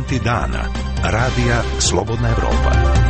Momenti dana. Radija Slobodna Evropa.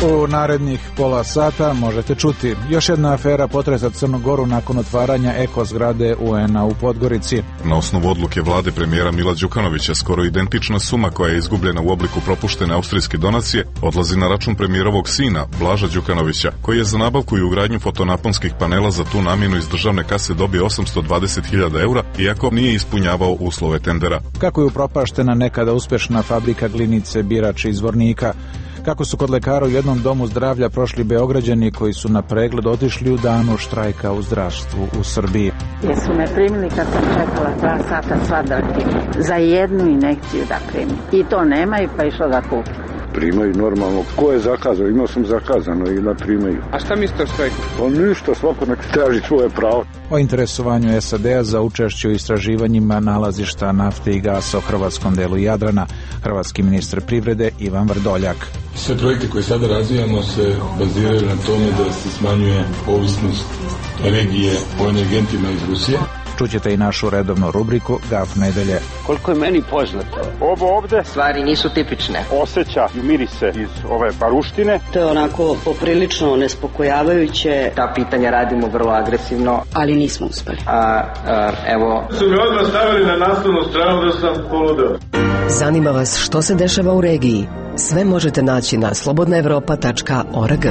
U narednih pola sata možete čuti: još jedna afera potresa Crnu Goru nakon otvaranja eko zgrade UN-a u Podgorici. Na osnovu odluke vlade premijera Mila Đukanovića, skoro identična suma koja je izgubljena u obliku propuštene austrijske donacije odlazi na račun premijerovog sina, Blaža Đukanovića, koji je za nabavku i ugradnju fotonaponskih panela za tu namjenu iz državne kase dobio 820.000 eura, iako nije ispunjavao uslove tendera. Kako je upropaštena nekada uspešna fabrika glinice Birač iz Zvornika? Kako su kod lekara u jednom domu zdravlja prošli Beograđani koji su na pregled otišli u danu štrajka u zdravstvu u Srbiji? Jesu me primili kad sam čekala 2 sata sva za jednu injekciju da primim. I to nemaju, pa išlo da kupim. Primaju normalno. Ko je zakazao? Imao sam zakazano i da primaju. A šta mislite o štrajku? Pa ništa, svako nek traži svoje pravo. O interesovanju SAD-a za učešće u istraživanjima nalazišta nafte i gasa u hrvatskom delu Jadrana, hrvatski ministar privrede Ivan Vrdoljak. Sve projekte koje sada razvijamo se baziraju na tome da se smanjuje ovisnost regije o energentima iz Rusije. Čućete i našu redovnu rubriku Gaf nedelje. Koliko je meni poznato, ovo ovde stvari nisu tipične. Osjećaju mirise iz ove baruštine. To je onako poprilično nespokojavajuće. Ta pitanja radimo vrlo agresivno, ali nismo uspeli. Evo, su mi odmah stavili na naslovnu stranu da sam poludeo. Zanima vas što se dešava u regiji? Sve možete naći na slobodnaevropa.org.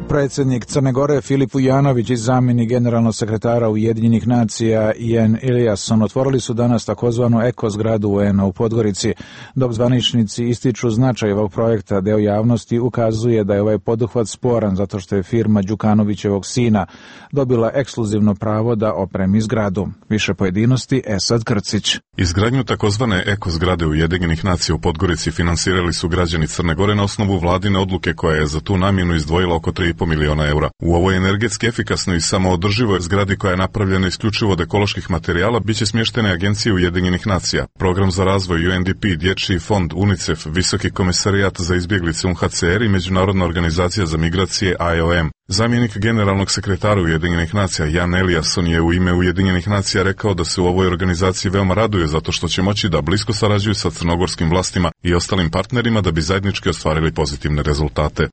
Predsjednik Crne Gore Filip Vujanović i zamjenik generalnog sekretara Ujedinjenih nacija Ian Eliasson otvorili su danas takozvanu eko zgradu UN-a u Podgorici. Dok zvaničnici ističu značaj ovog projekta, deo javnosti ukazuje da je ovaj poduhvat sporan zato što je firma Đukanovićevog sina dobila ekskluzivno pravo da opremi zgradu. Više pojedinosti Esad Krcić. Izgradnju takozvane eko zgrade Ujedinjenih nacija u Podgorici finansirali su građani Crne Gore na osnovu vladine odluke koja je za tu namjenu izdvojila oko 3,5 miliona eura. U ovoj energetski efikasnoj i samoodrživoj zgradi koja je napravljena isključivo od ekoloških materijala biće smještene agencije Ujedinjenih nacija, program za razvoj UNDP, Dječji fond, UNICEF, Visoki komisarijat za izbjeglice UNHCR i Međunarodna organizacija za migracije IOM. Zamjenik generalnog sekretara Ujedinjenih nacija Ian Eliasson je u ime Ujedinjenih nacija rekao da se u ovoj organizaciji veoma raduju zato što će moći da blisko sarađuju sa crnogorskim vlastima i ostalim partnerima da bi zajednički ostvarili pozitivne rezultate.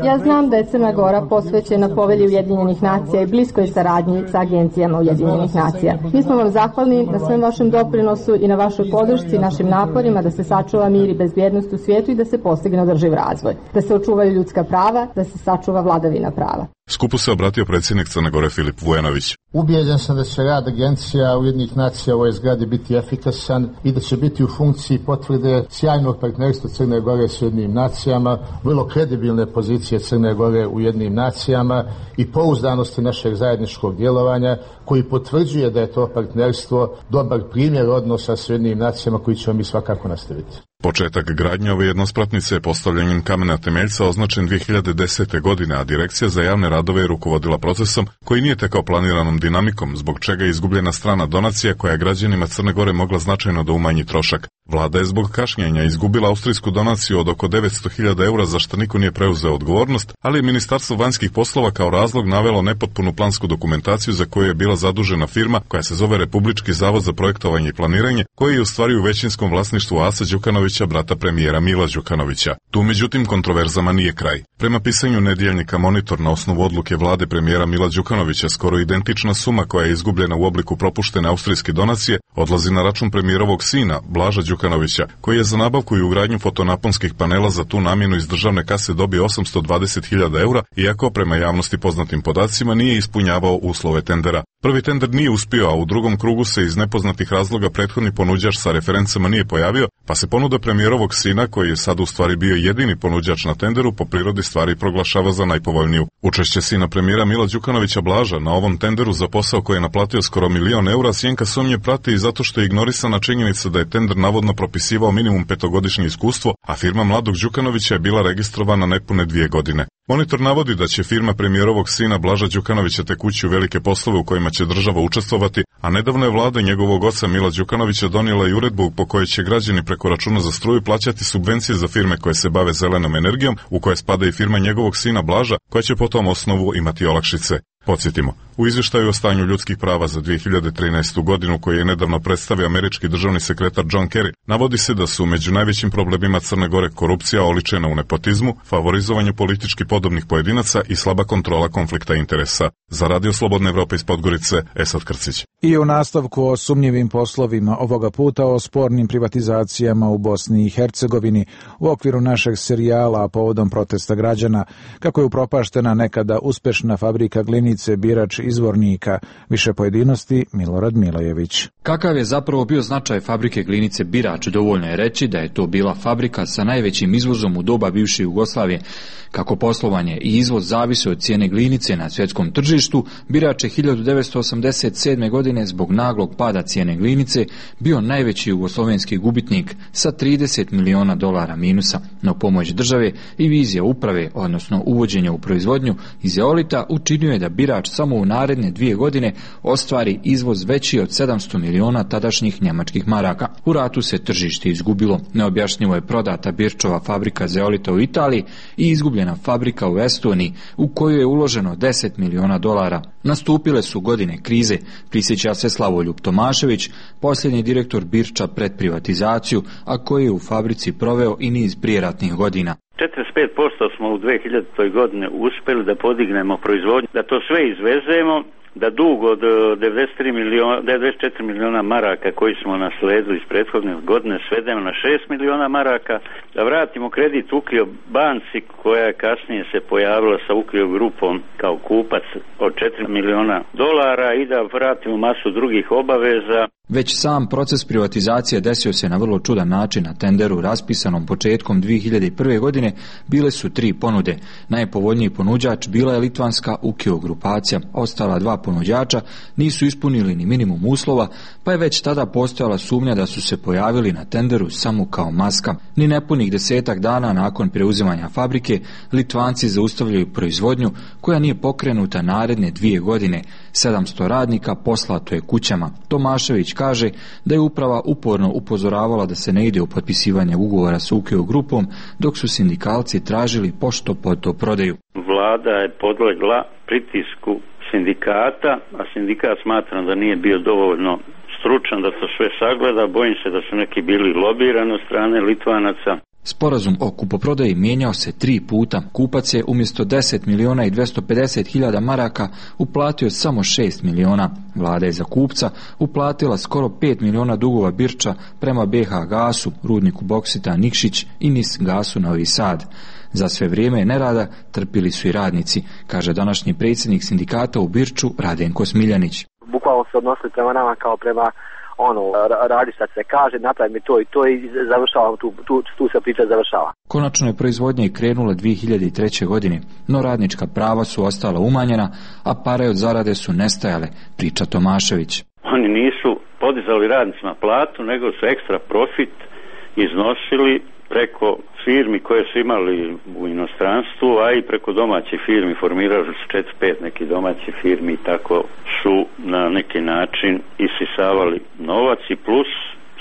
Ja znam da je Crna Gora posvećena povelji Ujedinjenih nacija i bliskoj saradnji sa agencijama Ujedinjenih nacija. Mi smo vam zahvalni na svem vašem doprinosu i na vašoj podršci i našim naporima da se sačuva mir i bezbjednost u svijetu i da se postigne održiv razvoj, da se očuvaju ljudska prava, da se sačuva vladavina prava. Skupu se obratio predsjednik Crne Gore Filip Vujanović. Ubijeđen sam da će rad agencija Ujedinjenih nacija u ovoj zgradi biti efikasan i da će biti u funkciji potvrde sjajnog partnerstva Crne Gore s Ujedinjenim nacijama, vrlo kredibilne pozicije Crne Gore u Ujedinjenim nacijama i pouzdanosti našeg zajedničkog djelovanja koji potvrđuje da je to partnerstvo dobar primjer odnosa s Ujedinjenim nacijama koji ćemo mi svakako nastaviti. Početak gradnje ove jednospratnice je postavljanjem kamena temeljca označen 2010. godine, a Direkcija za javne radove je rukovodila procesom koji nije tekao planiranom dinamikom, zbog čega je izgubljena strana donacija koja je građanima Crne Gore mogla značajno da umanji trošak. Vlada je zbog kašnjenja izgubila austrijsku donaciju od oko 900.000 eura za što niko nije preuzeo odgovornost, ali je Ministarstvo vanjskih poslova kao razlog navelo nepotpunu plansku dokumentaciju za koju je bila zadužena firma koja se zove Republički zavod za projektovanje i planiranje, koji je u stvari u većinskom vlasništvu Asa Đukanovića, brata premijera Mila Đukanovića. Tu međutim kontroverzama nije kraj. Prema pisanju nedjeljnika Monitor, na osnovu odluke vlade premijera Mila Đukanovića, skoro identična suma koja je izgubljena u obliku propuštene austrijske donacije odlazi na račun premijerovog sina, Blaža Đukanovića, koji je za nabavku i ugradnju fotonaponskih panela za tu namjenu iz državne kase dobio 820.000 eura, iako prema javnosti poznatim podacima nije ispunjavao uslove tendera. Prvi tender nije uspio, a u drugom krugu se iz nepoznatih razloga prethodni ponuđač sa referencama nije pojavio, pa se ponuda premijerovog sina, koji je sad u stvari bio jedini ponuđač na tenderu, po prirodi stvari proglašava za najpovoljniju. Učešće sina premijera Mila Đukanovića Blaža na ovom tenderu za posao koji je naplatio skoro 1.000.000 eura sjenka sumnje prati i zato što je ignorisana činjenica da je tender navodno propisivao minimum 5-godišnje iskustvo, a firma mladog Đukanovića je bila registrovana nepune 2 godine. Monitor navodi da će firma premijerovog sina Blaža Đukanovića tek ući u velike poslove u kojima će država učestvovati, a nedavno je vlada njegovog oca Mila Đukanovića donijela i uredbu po kojoj će građani preko računa za struju plaćati subvencije za firme koje se bave zelenom energijom, u koje spada i firma njegovog sina Blaža, koja će po tom osnovu imati olakšice. Podsjetimo, u izvještaju o stanju ljudskih prava za 2013. godinu koji je nedavno predstavio američki državni sekretar John Kerry, navodi se da su među najvećim problemima Crne Gore korupcija oličena u nepotizmu, favorizovanju politički podobnih pojedinaca i slaba kontrola konflikta interesa. Za Radio Slobodne Evrope iz Podgorice, Esad Krcić. I u nastavku o sumnjivim poslovima, ovoga puta o spornim privatizacijama u Bosni i Hercegovini u okviru našeg serijala povodom protesta građana, kako je upropaštena nekada uspešna fabrika glinice Birač iz Zvornika. Više pojedinosti Milorad Milojević. Kakav je zapravo bio značaj fabrike glinice Birač, dovoljno je reći da je to bila fabrika sa najvećim izvozom u doba bivše Jugoslavije. Kako poslovanje i izvoz zavise od cijene glinice na svjetskom tržištu, Birač je 1987. godine zbog naglog pada cijene glinice bio najveći jugoslovenski gubitnik sa $30 miliona minusa. No pomoć države i vizija uprave, odnosno uvođenja u proizvodnju iz zeolita, učinio je da Birač samo u naredne 2 godine ostvari izvoz veći od 700 miliona tadašnjih njemačkih maraka. U ratu se tržište izgubilo. Neobjašnjivo je prodata Birčova fabrika zeolita u Italiji i izgubljena fabrika u Estoniji u koju je uloženo $10 miliona. Nastupile su godine krize, prisjeća se Slavoljub Tomašević, posljednji direktor Birča pred privatizaciju, a koji je u fabrici proveo i niz prijeratnih godina. 45% smo u 2000. godine uspjeli da podignemo proizvodnju, da to sve izvezemo, da dug od 94 miliona maraka koji smo nasledili iz prethodne godine svedemo na 6 miliona maraka, da vratimo kredit Ukljo banci koja je kasnije se pojavila sa Ukljo grupom kao kupac od $4 miliona i da vratimo masu drugih obaveza. Već sam proces privatizacije desio se na vrlo čudan način. Na tenderu raspisanom početkom 2001. godine bile su 3 ponude. Najpovoljniji ponuđač bila je litvanska Ukio grupacija. Ostala 2 ponuđača nisu ispunili ni minimum uslova, pa je već tada postojala sumnja da su se pojavili na tenderu samo kao maska. Ni nepunih 10 dana nakon preuzimanja fabrike, Litvanci zaustavljaju proizvodnju koja nije pokrenuta naredne 2 godine. 700 radnika poslato je kućama. Tomašević kaže da je uprava uporno upozoravala da se ne ide u potpisivanje ugovora s Ukio grupom, dok su sindikalci tražili pošto poto prodaju. Vlada je podlegla pritisku sindikata, a sindikat smatra da nije bio dovoljno stručan da to sve sagleda. Bojim se da su neki bili lobirani od strane Litvanaca. Sporazum o kupoprodaji mijenjao se 3 puta. Kupac je umjesto 10 miliona i 250 hiljada maraka uplatio samo 6 miliona. Vlada je za kupca uplatila skoro 5 miliona dugova Birča prema BH Gasu, rudniku boksita Nikšić i NIS Gasu Novi Sad. Za sve vrijeme nerada trpili su i radnici, kaže današnji predsjednik sindikata u Birču Radenko Smiljanić. Bukvalno se odnosili prema nama kao prema radi šta se kaže, napravi mi to i završavam, tu se priča završava. Konačno je proizvodnja i krenula 2003. godine, no radnička prava su ostala umanjena, a pare od zarade su nestajale, priča Tomašević. Oni nisu podizali radnicima platu, nego su ekstra profit iznosili preko firmi koje su imali u inostranstvu, a i preko domaćih firmi. Formirali su 4-5 nekih domaćih firmi i tako su na neki način isisavali novac i plus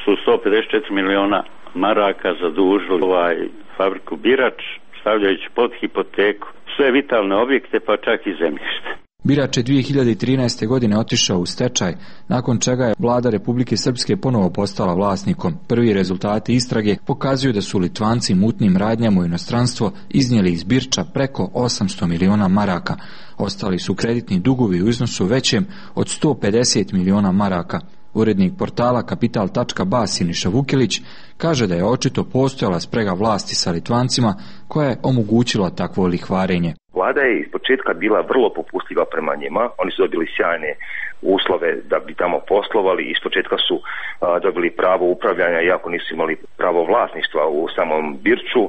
su 154 miliona maraka zadužili fabriku Birač, stavljajući pod hipoteku sve vitalne objekte pa čak i zemljište. Birač je 2013. godine otišao u stečaj, nakon čega je vlada Republike Srpske ponovo postala vlasnikom. Prvi rezultati istrage pokazuju da su Litvanci mutnim radnjama u inostranstvo iznijeli iz Birča preko 800 miliona maraka. Ostali su kreditni dugovi u iznosu većem od 150 miliona maraka. Urednik portala Kapital.ba Siniša Vukilić kaže da je očito postojala sprega vlasti sa Litvancima koja je omogućila takvo lihvarenje. Vlada je iz početka bila vrlo popustljiva prema njima, oni su dobili sjajne uslove da bi tamo poslovali, iz početka su dobili pravo upravljanja iako nisu imali pravo vlasništva u samom Birču,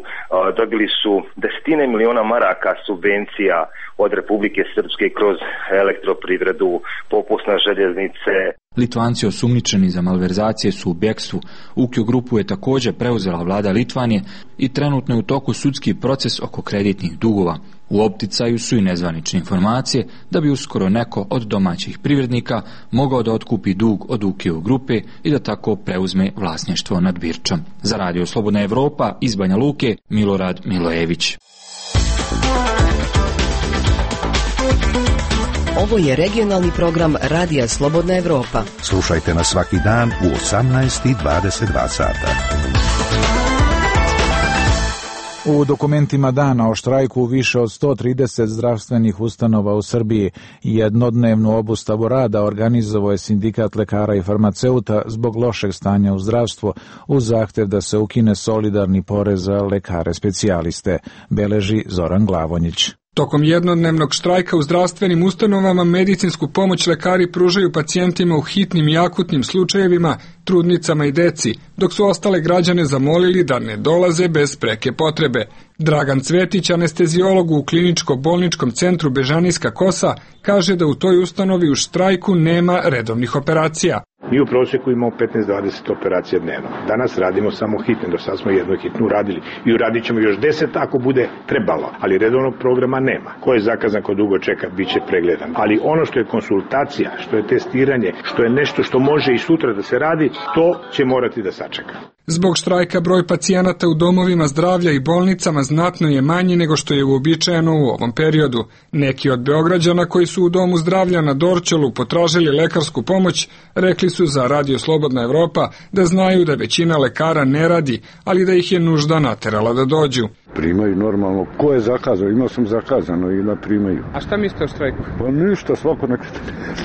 dobili su desetine miliona maraka subvencija od Republike Srpske kroz elektroprivredu, popusna željeznice. Litvanci osumnjičeni za malverzacije su u bekstvu. Ukio grupu je također preuzela vlada Litvanije i trenutno je u toku sudski proces oko kreditnih dugova. U opticaju su i nezvanične informacije da bi uskoro neko od domaćih privrednika mogao da otkupi dug od UKO grupe i da tako preuzme vlasništvo nad Birčom. Za Radio Slobodna Evropa iz Banja Luke, Milorad Milojević. Ovo je regionalni program Radija Slobodna Evropa. Slušajte nas svaki dan u 18:22 sata. U dokumentima dana o štrajku više od 130 zdravstvenih ustanova u Srbiji jednodnevnu obustavu rada organizovao je Sindikat lekara i farmaceuta zbog lošeg stanja u zdravstvu uz zahtev da se ukine solidarni porez za lekare specijaliste, beleži Zoran Glavonjić. Tokom jednodnevnog štrajka u zdravstvenim ustanovama medicinsku pomoć lekari pružaju pacijentima u hitnim i akutnim slučajevima, trudnicama i deci, dok su ostale građane zamolili da ne dolaze bez preke potrebe. Dragan Cvetić, anesteziolog u kliničko-bolničkom centru Bežanijska Kosa, kaže da u toj ustanovi u štrajku nema redovnih operacija. Mi u prosjeku imamo 15-20 operacija dnevno. Danas radimo samo hitne, do sad smo jednu hitnu uradili. I uradit ćemo još 10 ako bude trebalo, ali redovnog programa nema. Ko je zakazan, ko dugo čeka, bit će pregledan. Ali ono što je konsultacija, što je testiranje, što je nešto što može i sutra da se radi, to će morati da sačeka. Zbog štrajka broj pacijenata u domovima zdravlja i bolnicama znatno je manji nego što je uobičajeno u ovom periodu. Neki od Beograđana koji su u domu zdravlja na Dorćolu potražili lekarsku pomoć, rekli su za Radio Slobodna Evropa da znaju da većina lekara ne radi, ali da ih je nužda naterala da dođu. Primaju normalno. Ko je zakazao? Imao sam zakazano i da primaju. A šta mislite o štrajku? Pa ništa, svako nek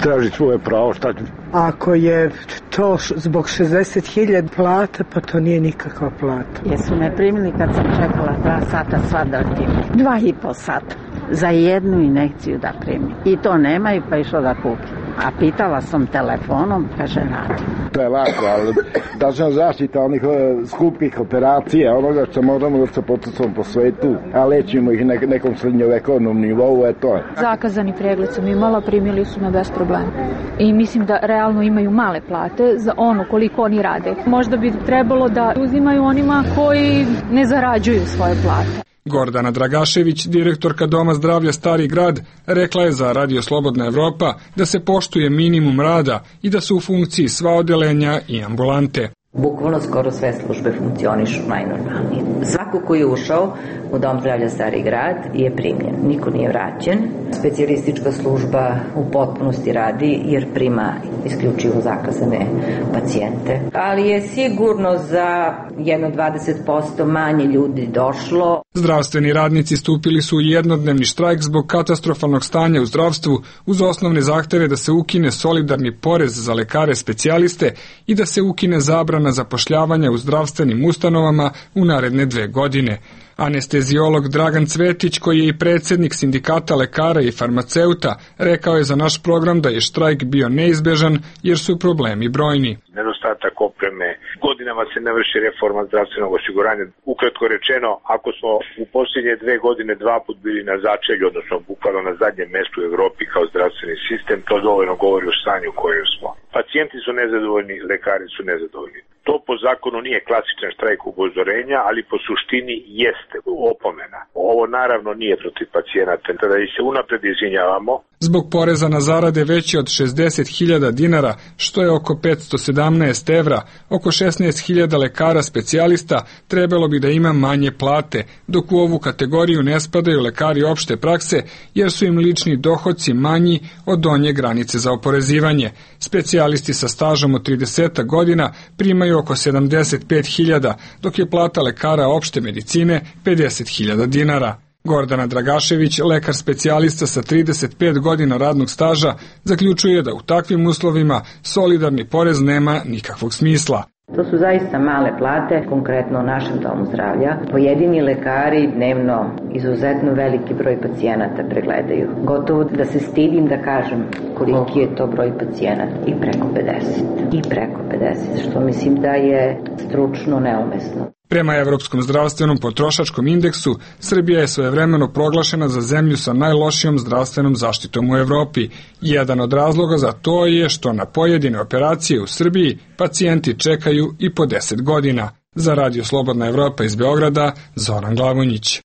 traži svoje pravo. Šta? Ako je to zbog 60.000 plata, pa to nije nikakva plata. Jesu me primili kad sam čekala 2 sata svadratim. 2,5 sata. Za jednu injekciju da primim. I to nema i pa išlo da kupim. A pitala sam telefonom, kaže radi. To je lako, ali dažna zaštita onih skupih operacija, onoga što moramo da se potucamo po svetu, a lečimo ih nekom srednjovekovnom nivou, to je. Zakazani pregled sam imala, primili su me bez problema. I mislim da realno imaju male plate za ono koliko oni rade. Možda bi trebalo da uzimaju onima koji ne zarađuju svoje plate. Gordana Dragašević, direktorka Doma zdravlja Stari grad, rekla je za Radio Slobodna Evropa da se poštuje minimum rada i da su u funkciji sva odeljenja i ambulante. Bukvalno skoro sve službe funkcionišu najnormalnije. Svako ko je ušao u Dom zdravlja Stari grad je primljen. Niko nije vraćen. Specijalistička služba u potpunosti radi jer prima isključivo zakazane pacijente. Ali je sigurno za jedno 20% manje ljudi došlo. Zdravstveni radnici stupili su u jednodnevni štrajk zbog katastrofalnog stanja u zdravstvu uz osnovne zahteve da se ukine solidarni porez za lekare specijaliste i da se ukine zabrana zapošljavanja u zdravstvenim ustanovama u naredne 2 godine. Anesteziolog Dragan Cvetić, koji je i predsjednik Sindikata lekara i farmaceuta, rekao je za naš program da je štrajk bio neizbežan jer su problemi brojni. Nedostatak opreme, godinama se ne vrši reforma zdravstvenog osiguranja. Ukratko rečeno, ako smo u posljednje 2 godine 2 put bili na začelju, odnosno bukvalno na zadnjem mjestu u Evropi kao zdravstveni sistem, to dovoljno govori o stanju u kojem smo. Pacijenti su nezadovoljni, lekari su nezadovoljni. To po zakonu nije klasičan štrajk upozorenja, ali po suštini jeste opomena. Ovo naravno nije protiv pacijenata, tada ih se unapred izvinjavamo. Zbog poreza na zarade veće od 60.000 dinara, što je oko 517 evra, oko 16.000 lekara specijalista trebalo bi da ima manje plate, dok u ovu kategoriju ne spadaju lekari opšte prakse, jer su im lični dohodci manji od donje granice za oporezivanje. Specijalisti sa stažom od 30 godina primaju oko 75.000, dok je plata lekara opšte medicine 50.000 dinara. Gordana Dragašević, lekar specijalista sa 35 godina radnog staža, zaključuje da u takvim uslovima solidarni porez nema nikakvog smisla. To su zaista male plate, konkretno u našem domu zdravlja. Pojedini lekari dnevno izuzetno veliki broj pacijenata pregledaju. Gotovo da se stidim da kažem koliki je to broj pacijenata. I preko 50. I preko 50, što mislim da je stručno neumesno. Prema Evropskom zdravstvenom potrošačkom indeksu, Srbija je svojevremeno proglašena za zemlju sa najlošijom zdravstvenom zaštitom u Evropi. Jedan od razloga za to je što na pojedine operacije u Srbiji pacijenti čekaju i po 10 godina. Za Radio Slobodna Evropa iz Beograda, Zoran Glavonjić.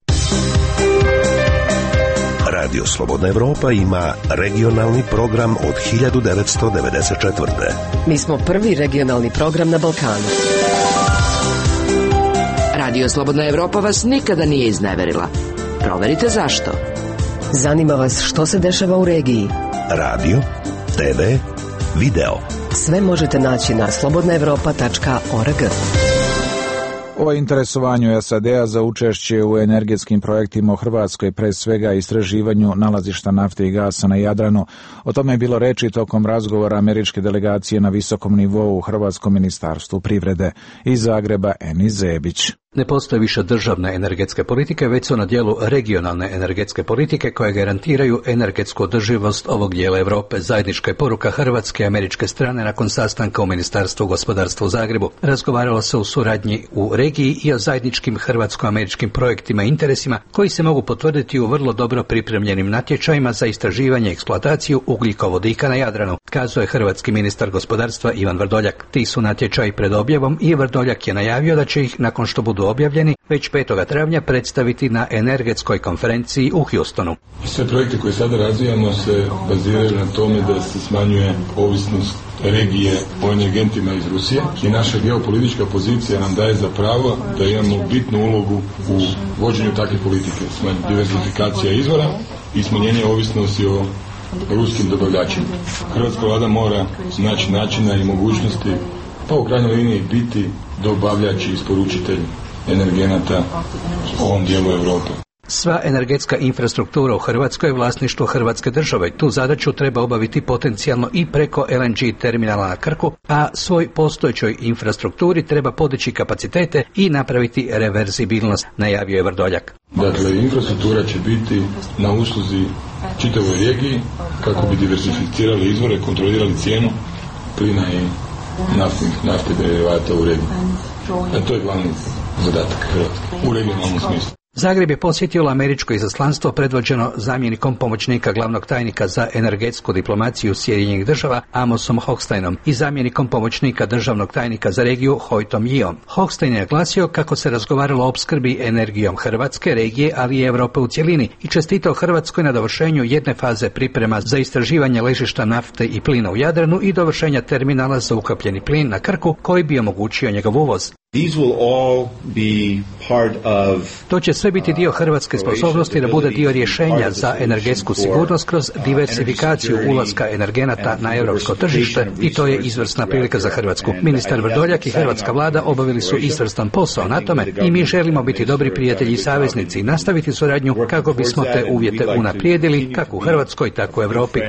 Radio Slobodna Evropa ima regionalni program od 1994. Mi smo prvi regionalni program na Balkanu. Radio Slobodna Evropa vas nikada nije izneverila. Proverite zašto. Zanima vas što se dešava u regiji. Radio, TV, video. Sve možete naći na slobodnaevropa.org. O interesovanju SAD-a za učešće u energetskim projektima u Hrvatskoj, pre svega istraživanju nalazišta nafte i gasa na Jadranu, o tome je bilo reči tokom razgovora američke delegacije na visokom nivou u Hrvatskom ministarstvu privrede. Iz Zagreba, Enis Zebić. Ne postoje više državne energetske politike, već su na dijelu regionalne energetske politike koje garantiraju energetsku održivost ovog dijela Europe. Zajednička je poruka hrvatske i američke strane nakon sastanka u Ministarstvu gospodarstva u Zagrebu. Razgovaralo se o suradnji u regiji i o zajedničkim hrvatsko-američkim projektima i interesima koji se mogu potvrditi u vrlo dobro pripremljenim natječajima za istraživanje i eksploataciju ugljikovodika na Jadranu, kazao je hrvatski ministar gospodarstva Ivan Vrdoljak. Ti su natječaji pred objavom i Vrdoljak je najavio da će ih, nakon što budu objavljeni, već 5. travnja predstaviti na energetskoj konferenciji u Houstonu. Sve projekte koje sada razvijamo se baziraju na tome da se smanjuje ovisnost regije o energentima iz Rusije i naša geopolitička pozicija nam daje za pravo da imamo bitnu ulogu u vođenju takve politike, diversifikacija izvora i smanjenje ovisnosti o ruskim dobavljačima. Hrvatska vlada mora naći načina i mogućnosti, pa u krajnjoj liniji biti dobavljač i isporučitelj energenata u ovom dijelu Europe. Sva energetska infrastruktura u Hrvatskoj je vlasništvo Hrvatske države. Tu zadaću treba obaviti potencijalno i preko LNG terminala na Krku, a svoj postojećoj infrastrukturi treba podići kapacitete i napraviti reverzibilnost, najavio je Vrdoljak. Dakle, infrastruktura će biti na usluzi čitavoj regiji kako bi diversificirali izvore, kontrolirali cijenu plina i nafte derivata u regiji. A to je glavni zadatak Hrvatske u regionalnom smislu. Zagreb je posjetilo američko izaslanstvo predvođeno zamjenikom pomoćnika glavnog tajnika za energetsku diplomaciju Sjedinjenih država Amosom Hochsteinom i zamjenikom pomoćnika državnog tajnika za regiju Hojtom Jiom. Hochstein je naglasio kako se razgovaralo o opskrbi energijom Hrvatske, regije, ali i Europe u cjelini i čestitao Hrvatskoj na dovršenju jedne faze priprema za istraživanje ležišta nafte i plina u Jadranu i dovršenja terminala za ukapljeni plin na Krku koji bi omogućio njegov uvoz. To će sve biti dio hrvatske sposobnosti da bude dio rješenja za energetsku sigurnost kroz diversifikaciju ulaska energenata na europsko tržište i to je izvrsna prilika za Hrvatsku. Ministar Vrdoljak i hrvatska vlada obavili su izvrstan posao na tome i mi želimo biti dobri prijatelji i saveznici i nastaviti suradnju kako bismo te uvjete unaprijedili kako u Hrvatskoj, tako u Europi.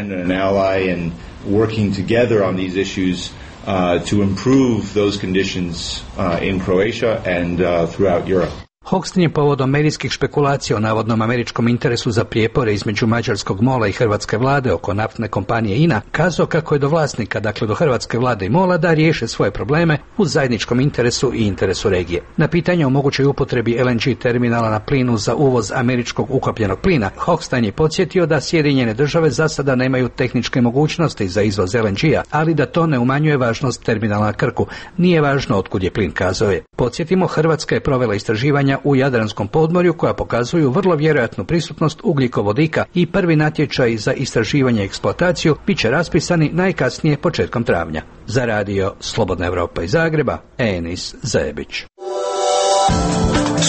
To improve those conditions in Croatia and throughout Europe. Hochstein je povodom medijskih špekulacija o navodnom američkom interesu za prijepore između mađarskog MOL-a i hrvatske vlade oko naftne kompanije INA kazao kako je do vlasnika, dakle do hrvatske vlade i MOL-a, da riješe svoje probleme u zajedničkom interesu i interesu regije. Na pitanje o mogućoj upotrebi LNG terminala na plinu za uvoz američkog ukapljenog plina, Hochstein je podsjetio da Sjedinjene države za sada nemaju tehničke mogućnosti za izvoz LNG-a, ali da to ne umanjuje važnost terminala na Krku. Nije važno otkud je plin, kazao je. Podsjetimo, Hrvatska je provela istraživanja u Jadranskom podmorju koja pokazuju vrlo vjerojatnu prisutnost ugljikovodika i prvi natječaj za istraživanje i eksploataciju bit će raspisani najkasnije početkom travnja. Za radio Slobodna Evropa iz Zagreba, Enis Zebić.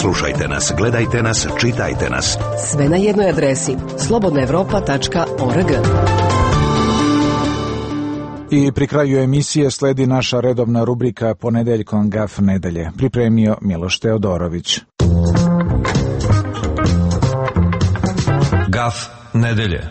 Slušajte nas, gledajte nas, čitajte nas. Sve na jednoj adresi slobodnaevropa.org. I pri kraju emisije sledi naša redovna rubrika Ponedeljkom Gaf nedelje. Pripremio Miloš Teodorović. Gaf nedelje.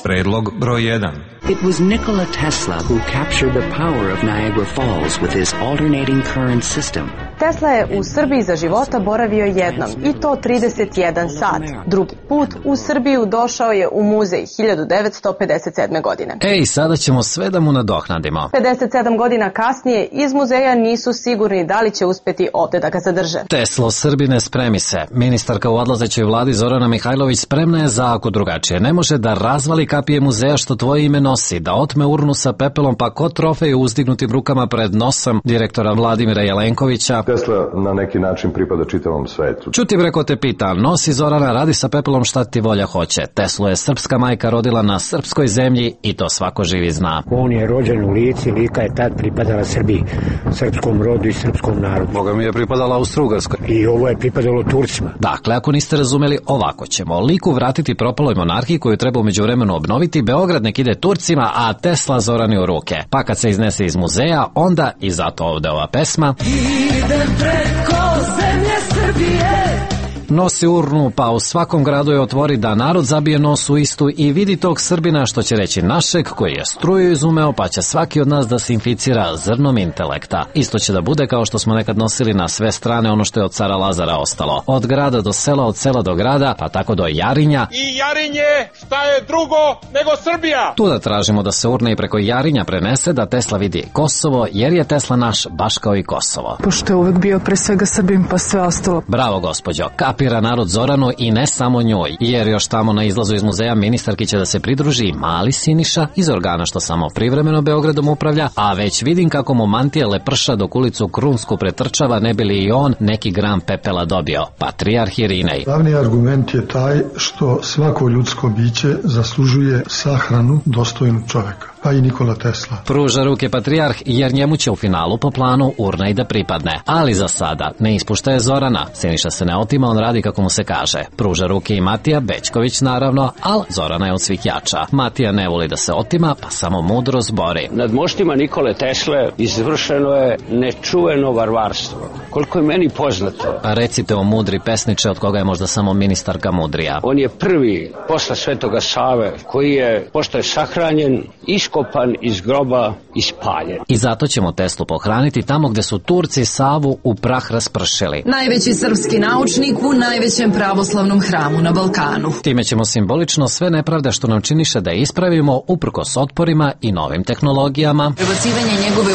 Predlog broj 1. It was Nikola Tesla who captured the power of Niagara Falls with his alternating current system. Tesla je u Srbiji za života boravio jednom, i to 31 sat. Drugi put u Srbiju došao je u muzej 1957. godine. Ej, sada ćemo sve da mu nadoknadimo. 57 godina kasnije iz muzeja nisu sigurni da li će uspjeti ovdje da ga zadrže. Teslo, Srbine, spremi se. Ministarka u odlazećoj vladi Zorana Mihajlović spremna je za ako drugačije. Ne može da razvali kapije muzeja što tvoje ime nosi, da otme urnu sa pepelom pa ko trofej uzdignutim rukama pred nosom direktora Vladimira Jelenkovića. Tesla na neki način pripada čitavom svetu. Čuti breko te pita, nosi Zorana, radi sa pepelom šta ti volja hoće. Teslu je srpska majka rodila na srpskoj zemlji i to svako živi zna. On je rođen u Lici, Lika je tad pripadala Srbiji, srpskom rodu i srpskom narodu. Boga mi je pripadala Austro-Ugarskoj. I ovo je pripadalo Turcima. Dakle, ako niste razumeli, ovako ćemo. Liku vratiti propaloj monarhiji koju treba u međuvremenu obnoviti, Beograd nek ide Turcima, a Tesla Zorani u ruke. Pa kad se iznese iz muzeja, onda i zato ovde ova pesma. Idem preko zemlje Srbije. Nosi urnu, pa u svakom gradu je otvori da narod zabije nos u istu i vidi tog Srbina, što će reći našeg, koji je struju izumeo, pa će svaki od nas da se inficira zrnom intelekta. Isto će da bude kao što smo nekad nosili na sve strane ono što je od cara Lazara ostalo. Od grada do sela, od sela do grada, pa tako do Jarinja. I Jarinje, šta je drugo nego Srbija? Tu da tražimo da se urne i preko Jarinja prenese, da Tesla vidi Kosovo, jer je Tesla naš baš kao i Kosovo. Pošto je uvek bio pre svega Srbim, pa sve ostalo. Bravo, gospođo. Kapira narod Zoranu i ne samo njoj, jer još tamo na izlazu iz muzeja ministarki će da se pridruži mali Siniša iz organa što samo privremeno Beogradom upravlja, a već vidim kako mu mantija leprša dok ulicu Krunsku pretrčava, ne bi li i on neki gram pepela dobio. Patrijarh Irinej. Glavni argument je taj što svako ljudsko biće zaslužuje sahranu dostojnu čoveka, pa i Nikola Tesla. Pruža ruke patrijarh, jer njemu će u finalu po planu urna i da pripadne. Ali za sada ne ispuštaje Zorana. Siniša se ne otima, on radi kako mu se kaže. Pruža ruke i Matija Bećković naravno, ali Zorana je od svih jača. Matija ne voli da se otima, pa samo mudro zbori. Nad moštima Nikole Tesle izvršeno je nečuveno varvarstvo. Koliko je meni poznato. Pa recite o mudri pesniče, od koga je možda samo ministarka mudrija. On je prvi posle Svetoga Save koji je, pošto je sahranjen, iskopan iz groba i spaljen. I zato ćemo Teslu pohraniti tamo gde su Turci Savu u prah raspršili. Najveći srpski naučnik u najvećem pravoslavnom hramu na Balkanu. Time ćemo simbolično sve nepravde što nam činiše da ispravimo uprkos otporima i novim tehnologijama. Prebacivanje njegove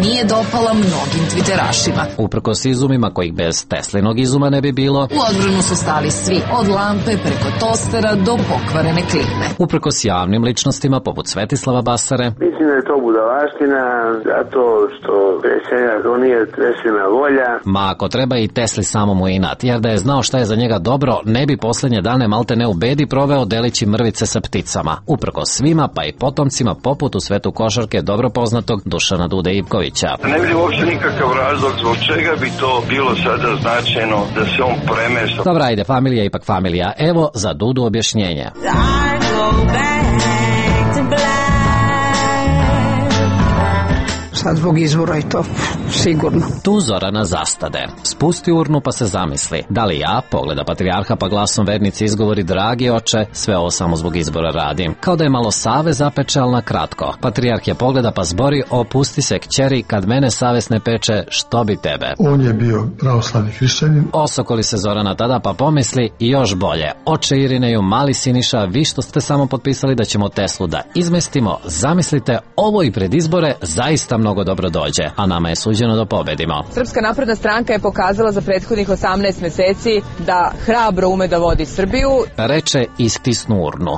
nije dopala mnogim twitterašima. Uprkos izumima kojih bez Teslinog izuma ne bi bilo. U odbranu su stali svi, od lampe preko tostera do pokvarene klime. Uprkos javnim ličnostima poput Svetislava Basare. Mislim da je to budalaština, zato što predsjednik to nije Teslina volja. Ma ako treba i Tesli samom u inat, jer da je znao šta je za njega dobro, ne bi posljednje dane malte ne u bedi proveo delići mrvice sa pticama. Uprkos svima, pa i potomcima poput u svetu košarke dobro poznatog Dušana Dude Ivkovića. Ne vidim uopšte nikakav razlog zbog čega bi to bilo sada značajno da se on premešta. Dobra, ajde, familija je ipak familija. Evo za Dudu objašnjenje. Sad zbog izvora i to, sigurno. Tu Zorana zastade. Spusti urnu pa se zamisli. Da li ja, pogleda patrijarha pa glasom vernici izgovori dragi oče, sve ovo samo zbog izbora radim. Kao da je malo Save zapeče, ali na kratko. Patrijarh je pogleda pa zbori, opusti se kćeri, kad mene savest ne peče, što bi tebe? On je bio pravoslavni hrišćanin. Osokoli se Zorana tada pa pomisli i još bolje. Oče Irineju, mali Siniša, vi što ste samo potpisali da ćemo Teslu da izmestimo, zamislite, ovo i pred izbore zaista mnogo dobro dođe, a nama je suđeno da pobedimo. Srpska napredna stranka je pokazala za prethodnih 18 meseci da hrabro ume da vodi Srbiju. Reče i stisnu urnu.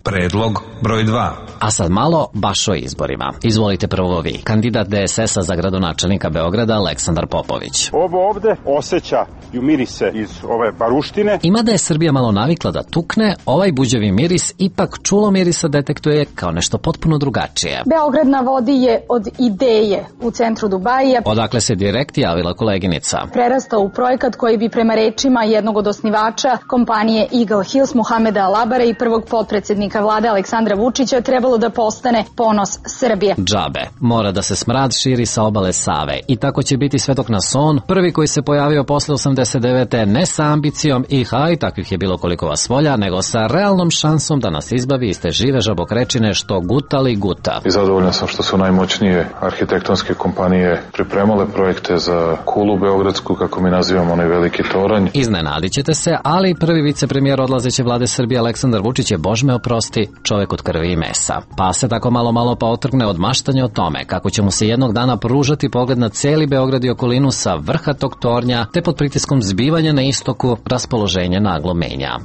Predlog broj 2. A sad malo baš o izborima. Izvolite prvo vi. Kandidat DSS-a za gradonačelnika Beograda Aleksandar Popović. Ovo ovde osjeća i mirise iz ove baruštine. Ima da je Srbija malo navikla da tukne, ovaj buđevi miris ipak čulo mirisa detektuje kao nešto potpuno drugačije. Beograd na vodi je od ideje u centru Dubajija. Odakle se direkt javila koleginica. Prerastao u projekat koji bi prema rečima jednog od osnivača kompanije Eagle Hills Muhameda Alabare i prvog potpredsjednika vlade Aleksandra Vučića trebalo da postane ponos Srbije. Džabe. Mora da se smrad širi sa obale Save i tako će biti sve dok nas on, prvi koji se pojavio posle 89. ne sa ambicijom i haj, takvih je bilo koliko vas volja, nego sa realnom šansom da nas izbavi iz te žive žabokrečine što gutali guta. I zadovoljan sam što su najmoćnije arhitektonske kompanije pripremale projekte za kulu beogradsku, kako mi nazivamo onaj veliki toranj. Iznenadit ćete se, ali prvi vicepremijer odlazeće vlade Srbije Aleksandar Vučić je, Bož me oprosti, čovek od krvi i mesa. Pa se tako malo pa otrgne od maštanja o tome kako će mu se jednog dana pružati pogled na celi Beograd i okolinu sa vrha tog tornja, te pod pritiskom zbivanja na istoku raspoloženje naglo menja.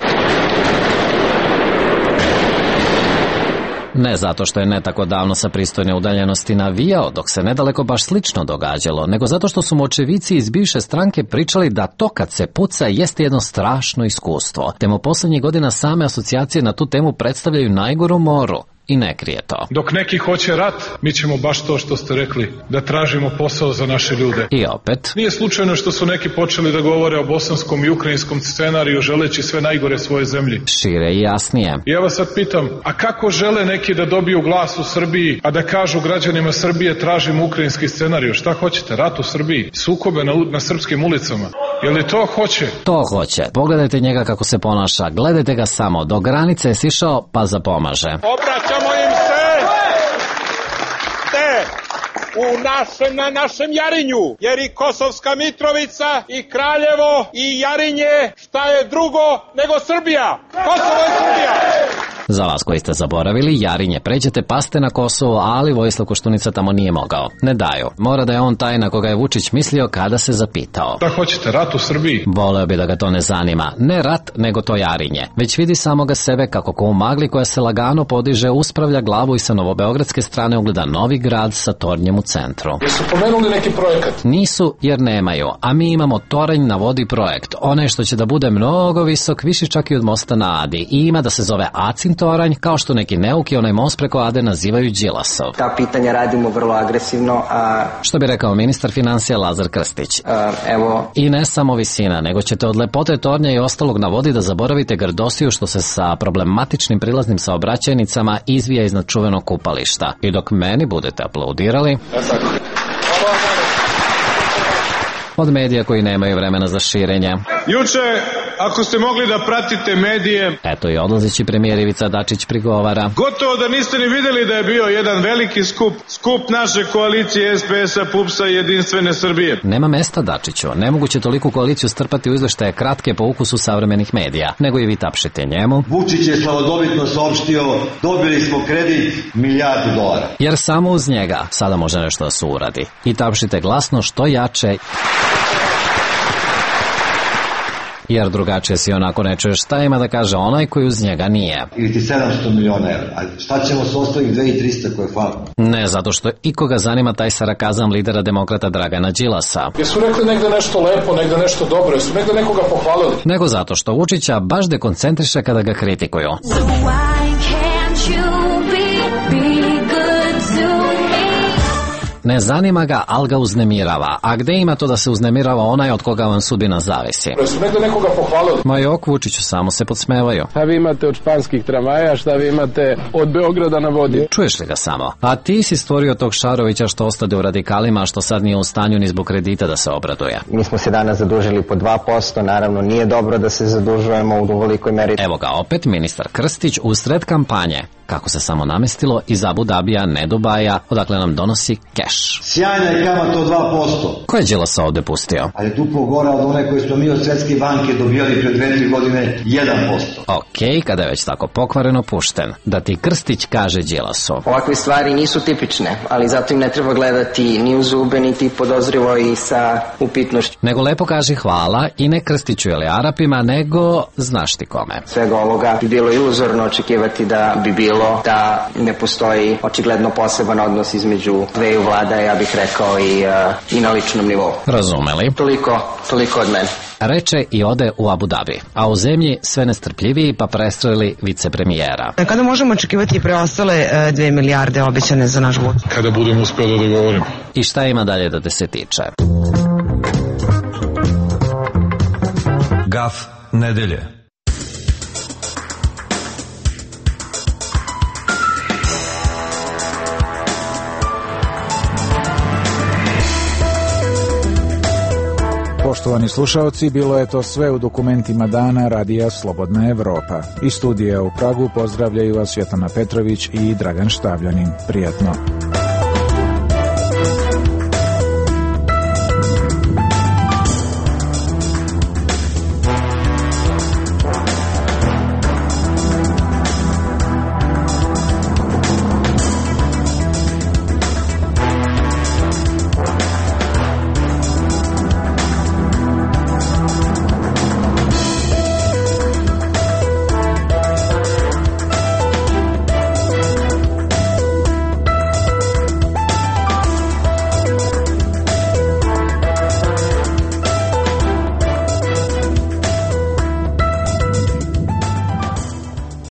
Ne zato što je ne tako davno sa pristojne udaljenosti navijao, dok se nedaleko baš slično događalo, nego zato što su mu očevici iz bivše stranke pričali da to kad se puca jeste jedno strašno iskustvo, te mu poslednjih godina same asocijacije na tu temu predstavljaju najgoru moru. I ne krije to. Dok neki hoće rat, mi ćemo baš to što ste rekli, da tražimo posao za naše ljude. I opet. Nije slučajno što su neki počeli da govore o bosanskom i ukrajinskom scenariju želeći sve najgore svoje zemlji. Šire i jasnije. I ja vas sad pitam, a kako žele neki da dobiju glas u Srbiji, a da kažu građanima Srbije tražimo ukrajinski scenariju? Šta hoćete? Rat u Srbiji? Sukobe na srpskim ulicama? Je li to hoće? To hoće. Pogledajte njega kako se ponaša. Gledajte ga samo. Do granice je sišao pa zapomaže. Obraćamo im se na našem Jarinju, jer i Kosovska Mitrovica i Kraljevo i Jarinje šta je drugo nego Srbija. Kosovo je Srbija. Za vas koji ste zaboravili, Jarinje, pređete paste na Kosovo, ali Vojislav Koštunica tamo nije mogao. Ne daju. Mora da je on taj na koga je Vučić mislio kada se zapitao. Da hoćete, rat u Srbiji? Voleo bi da ga to ne zanima. Ne rat, nego to Jarinje. Već vidi samoga sebe kako ko u magli koja se lagano podiže, uspravlja glavu i sa novobeogradske strane ugleda novi grad sa tornjem u centru. Jesu pomenuli neki projekat? Nisu, jer nemaju. A mi imamo toranj na vodi projekt. Onaj što će da bude mnogo visok, više čak i od mosta na Adi. I ima da se zove Acin toranj, kao što neki neuki onaj most preko Ade nazivaju Đilasov. Ta pitanja radimo vrlo agresivno. Što bi rekao ministar financija Lazar Krstić. Evo. I ne samo visina, nego ćete od lepote tornja i ostalog na vodi da zaboravite grdosiju što se sa problematičnim prilaznim saobraćajnicama izvija iznad čuvenog kupališta. I dok meni budete aplaudirali... Od medija koji nemaju vremena za širenje. Juče, ako ste mogli da pratite medije... Eto i odlazeći premijer Ivica Dačić prigovara. Gotovo da niste ni videli da je bio jedan veliki skup naše koalicije SPS-a, PUPS-a i Jedinstvene Srbije. Nema mesta, Dačiću. Nemoguće toliku koaliciju strpati u izveštaje kratke po ukusu savremenih medija, nego i vi tapšite njemu. Vučić je slavodobitno saopštio, dobili smo kredit $1 milijardu. Jer samo uz njega sada može nešto da se uradi. I tapšite glasno što jače... Jer drugačije si onako ne čuješ šta ima da kaže onaj koji uz njega nije. Ili ti 700 miliona evra, a šta ćemo s ostalih 2300 koje hvala? Ne, zato što ikoga zanima taj sarakazam lidera demokrata Dragana Đilasa. Jesu rekli negde nešto lepo, negde nešto dobro, jesu negde nekoga pohvalili? Nego zato što Vučića baš dekoncentriše kada ga kritikuju. So why can't you be good to me? Ne zanima ga, ali ga uznemirava. A gde ima to da se uznemirava onaj od koga vam sudbina zavisi? Jesu negde nekoga pohvalili? Ma jok, Vučiću, samo se podsmevaju. Šta vi imate od španskih tramvaja, šta vi imate od Beograda na vodi? Čuješ li ga samo? A ti si stvorio tog Šarovića što ostade u radikalima, što sad nije u stanju ni zbog kredita da se obraduje. Mi smo se danas zadužili po 2%, naravno nije dobro da se zadužujemo u velikoj meri. Evo ga opet ministar Krstić usred kampanje. Kako se samo namestilo iz Abu Dabija, ne Dubaja, odakle nam donosi keš. Sjajna je kamata od 2%. Ko je Đilasa ovde pustio? Ali duplo gora od one koje smo mi od Svetske banke dobijali pred 2-3 godine 1%. Okej, kada je već tako pokvareno pušten, da ti Krstić kaže Đilasu. Ovakve stvari nisu tipične, ali zato im ne treba gledati ni u zube, niti podozrivo i sa upitnošću. Nego lepo kaži hvala i ne Krstiću ili Arapima, nego znaš ti kome. Svega ovoga bi bilo iluzorno očekivati da bi bilo da ne postoji očigledno poseban odnos između dveju vlada, ja bih rekao i na ličnom nivou. Razumeli? Toliko od mene. Reče i ode u Abu Dhabi, a u zemlji sve nestrpljiviji pa prestrelili vicepremijera. Kada možemo očekivati preostale 2 milijarde obećane za naš budžet? Kada budemo uspeli da dogovorimo. I šta ima dalje da te se tiče? Gaf nedelje. Poštovani slušaoci, bilo je to sve u dokumentima dana Radija Slobodna Evropa. Iz studija u Pragu pozdravljaju vas Svetlana Petrović i Dragan Štavljanin. Prijatno.